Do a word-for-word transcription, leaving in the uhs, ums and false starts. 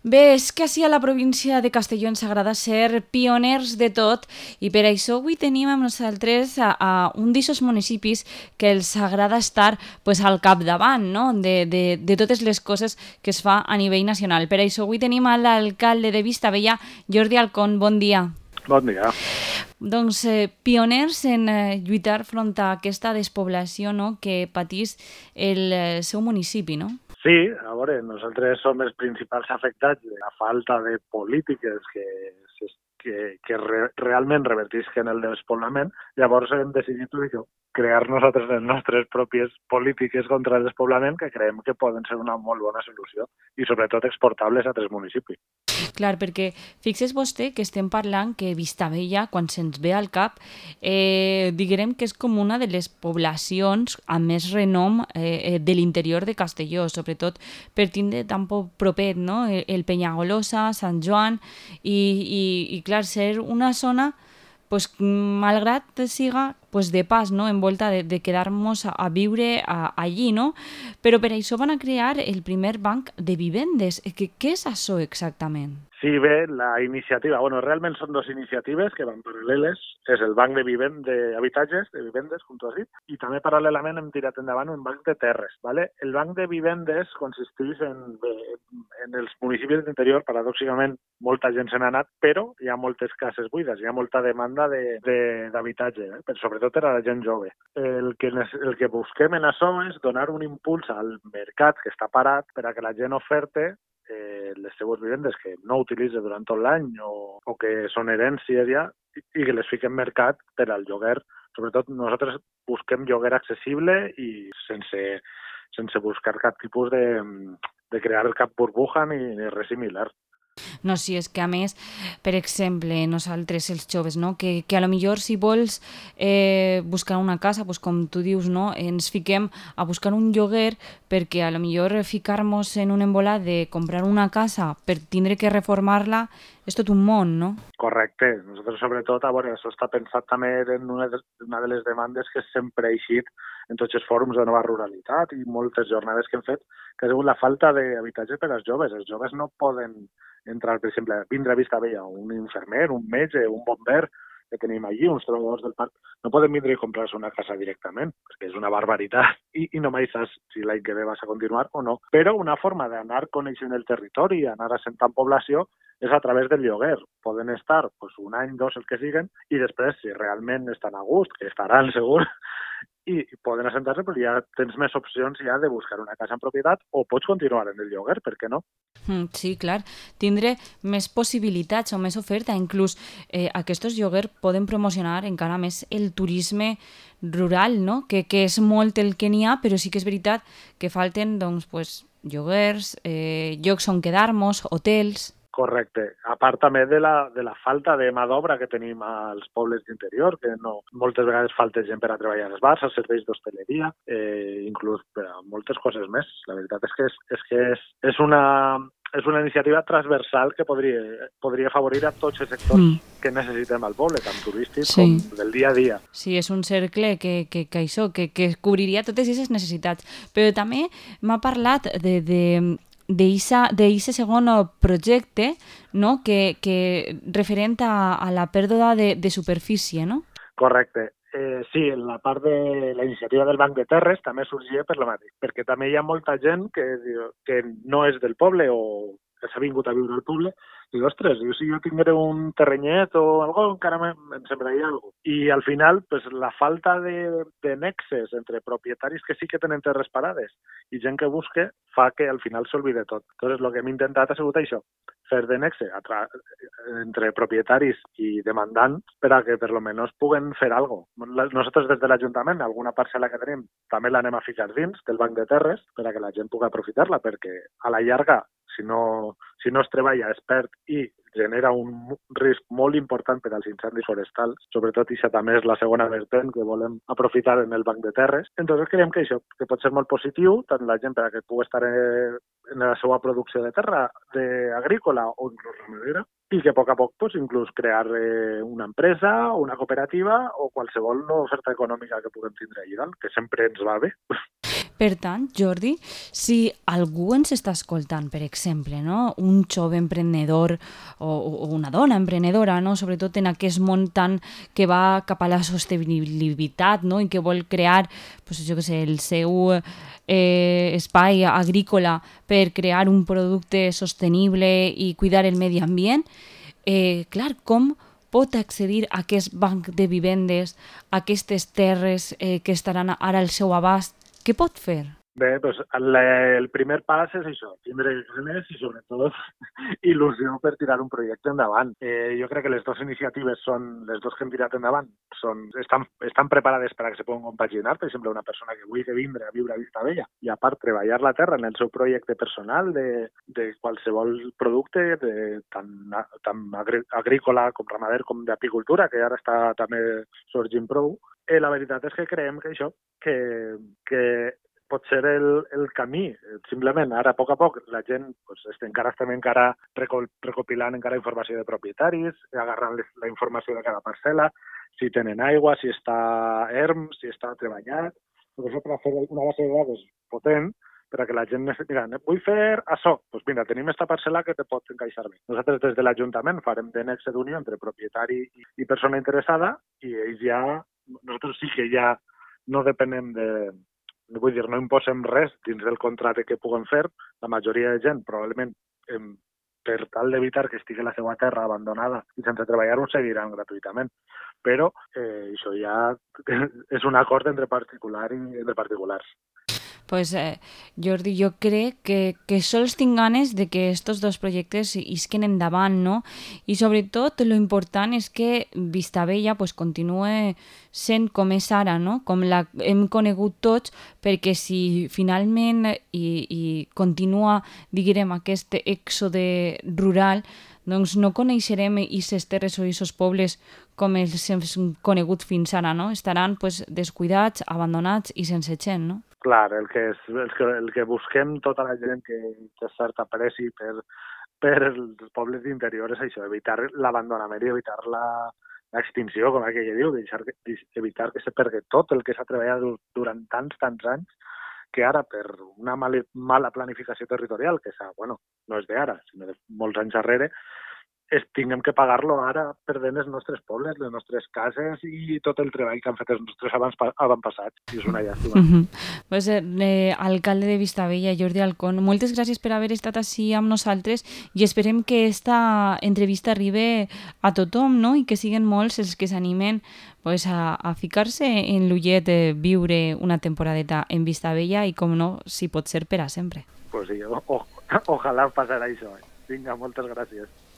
Bé, és que ací a la província de Castelló ens agrada ser pioners de tot i per això avui tenim amb nosaltres a, a un d'aquests municipis que els agrada estar pues, al capdavant, no? de, de, de totes les coses que es fa a nivell nacional. Per això avui tenim a l'alcalde de Vistabella, Jordi Alcón. Bon dia. Bon dia. Doncs eh, pioners en eh, lluitar front a aquesta despoblació, no? que patís el eh, seu municipi, no? Sí, a veure, nosaltres som els principals afectats de la falta de polítiques que, que, que re, realment revertisquen el despoblament. Llavors hem decidit això, crear nosaltres les nostres pròpies polítiques contra el despoblament que creiem que poden ser una molt bona solució i sobretot exportables a altres municipis. Clar, perquè fixes vostè que estem parlant que Vistabella, quan se'ns ve al cap, eh, diguem que és com una de les poblacions amb més renom eh, de l'interior de Castelló, sobretot per tindre tan propet, no? el, el Penyagolosa, Sant Joan, i, i, i clar, ser una zona pues, malgrat siga pues, de pas, no? envolta de, de quedar-nos a, a viure a, allí, no? Però per això van a crear el primer banc de vivendes. Què, què és això exactament? Sí, bé, la iniciativa, bueno, realment són dues iniciatives que van paral·leles, és el banc de vivend d'habitatges, de vivendes, com tu has dit, i també paral·lelament hem tirat endavant un banc de terres, ¿vale? El banc de vivendes consisteix en, en els municipis d'interior, paradòxicament molta gent se n'ha anat, però hi ha moltes cases buides, hi ha molta demanda d'habitatge, de, de, eh? sobretot per a la gent jove. El que, el que busquem en això és donar un impuls al mercat que està parat per a que la gent oferte eh, les seues vivendes que no utilitza durant tot l'any o, o que són herències ja i, i que les fiquem en mercat per al lloguer. Sobretot nosaltres busquem lloguer accessible i sense, sense buscar cap tipus de, de crear cap burbuja ni, ni res similar. No, sí, és que a més, per exemple, nosaltres els joves, no? que, que a lo millor si vols eh, buscar una casa, pues, com tu dius, no? ens fiquem a buscar un lloguer perquè a lo millor ficar-nos en un embolat de comprar una casa per tindre que reformar-la és tot un món, no? Correcte. Nosaltres, sobretot, a veure, això està pensat també en una de, una de les demandes que sempre ha eixit en tots els fòrums de nova ruralitat i moltes jornades que hem fet, que ha sigut la falta d'habitatge per als joves. Els joves no poden entrar, per exemple, vindre a Vistabella un infermer, un metge, un bomber que tenim allí, uns treballadors del parc, no poden vindre i comprar-se una casa directament, perquè és una barbaritat i, i no mai saps si l'any que ve vas a continuar o no. Però una forma d'anar coneixent el territori, anar assentant població, és a través del lloguer. Poden estar pues, un any, dos, el que siguen, i després, si realment estan a gust, que estaran segur, i poden assentar-se, però ja tens més opcions ja de buscar una casa en propietat o pots continuar en el lloguer, per què no? Sí, clar. Tindre més possibilitats o més oferta. Inclús eh, aquests lloguers poden promocionar encara més el turisme rural, no? que, que és molt el que n'hi ha, però sí que és veritat que falten doncs, pues, lloguers, eh, llocs on quedar-nos, hotels... Correcte. A part també de la, de la falta de mà d'obra que tenim als pobles d'interior, que no, moltes vegades falta gent per a treballar als bars, als serveis d'hostaleria, eh, inclús per a moltes coses més. La veritat és que és, és, que és, és, una, és una iniciativa transversal que podria, podria afavorir a tots els sectors mm. que necessitem al poble, tant turístic sí. com del dia a dia. Sí, és un cercle que, que, que això, que, que cobriria totes aquestes necessitats. Però també m'ha parlat de... de d'aquest segon projecte, no? que, que referent a, a la pèrdua de, de superfície, no? Correcte. Eh, sí, la part de la iniciativa del Banc de Terres també sorgia per la mateixa, perquè també hi ha molta gent que, que no és del poble o que s'ha vingut a viure al poble i, ostres, jo, si jo tingués un terrenyet o alguna cosa, encara em sembraria alguna cosa. I al final, pues, la falta de, de nexes entre propietaris que sí que tenen terres parades i gent que busque fa que al final s'olvide tot. Entonces, el que hem intentat ha sigut això, fer de nexe entre propietaris i demandants per a que per lo menos puguen fer alguna cosa. Nosaltres des de l'Ajuntament, alguna parcel·la que tenim, també l'anem a ficar dins del Banc de Terres per a que la gent pugui aprofitar-la, perquè a la llarga, si no, si no es treballa, es perd i genera un risc molt important per als incendis forestals, sobretot això també és la segona vertent que volem aprofitar en el Banc de Terres. Entonces creiem que això, que pot ser molt positiu, tant la gent per a que pugui estar en la seva producció de terra, de agrícola o inclús ramadera, i que a poc a poc pues, inclús crear eh, una empresa, una cooperativa o qualsevol oferta econòmica que puguem tindre allà dalt, que sempre ens va bé. Per tant, Jordi, si algú ens està escoltant, per exemple, no? Un jove emprenedor o, o una dona emprenedora, no? Sobretot en aquest món tan que va cap a la sostenibilitat, no? I que vol crear, pues, jo què sé, el seu eh, espai agrícola per crear un producte sostenible i cuidar el medi ambient, eh, clar, com pot accedir a aquest banc de vivendes, a aquestes terres eh, que estaran ara al seu abast? Què pot fer? Bé, doncs el, el primer pas és això, tindre ganes i sobretot il·lusió per tirar un projecte endavant. Eh, jo crec que les dues iniciatives són, les dues que hem tirat endavant, són, estan, estan preparades per a que se puguen compaginar. Per exemple, una persona que vulgui vindre a viure a Vistabella i a part treballar la terra en el seu projecte personal de, de qualsevol producte, de, tant, tant agrícola com ramader com d'apicultura, que ara està també sorgint prou. Eh, la veritat és que creiem que això, que, que pot ser el, el camí. Simplement, ara, a poc a poc, la gent pues, encara estem encara recopilant encara informació de propietaris, agarrant les, la informació de cada parcel·la, si tenen aigua, si està erm, si està treballat. Tot això per fer una base de dades potent, per a que la gent mira, vull fer això, doncs mira, tenim aquesta parcel·la que te pot encaixar bé. Nosaltres des de l'Ajuntament farem de nexe d'unió entre propietari i, i persona interessada i ells ja, nosaltres sí que ja no depenem de, vull dir, no imposem res dins del contracte que puguem fer. La majoria de gent probablement eh, per tal d'evitar que estigui la seva terra abandonada i sense treballar ho seguiran gratuïtament. Però eh, això ja és un acord entre particular i entre particulars. Pues, eh, Jordi, jo crec que, que sols tinc ganes de que estos dos projectes isquen endavant, no? I sobretot lo important és que Vistabella pues, continue sent com és ara, no? Com la hem conegut tots, perquè si finalment i, i continua, diguem, aquest èxode rural, doncs no coneixerem aquestes terres o aquests pobles com els hem conegut fins ara, no? Estaran pues, descuidats, abandonats i sense gent, no? Clar, el que, és, el que, el que busquem tota la gent que té certa preci per, per els pobles d'interior és això, evitar l'abandonament i evitar la, l'extinció, com aquell que diu, deixar, evitar que se pergui tot el que s'ha treballat durant tants, tants anys, que ara per una mala, mala planificació territorial, que s'ha, bueno, no és d'ara, sinó de molts anys darrere, es tinguem que pagar-lo ara perdent els nostres pobles, les nostres cases i tot el treball que han fet els nostres avantpassats. I és una llàstima. Uh -huh. Pues, eh, alcalde de Vistabella, Jordi Alcón, moltes gràcies per haver estat així amb nosaltres i esperem que esta entrevista arribi a tothom, no? I que siguen molts els que s'animen pues, a, a ficar-se en l'ullet de viure una temporadeta en Vistabella i, com no, si pot ser per a sempre. Pues sí, o, o, ojalà passarà això. Eh? Vinga, moltes gràcies.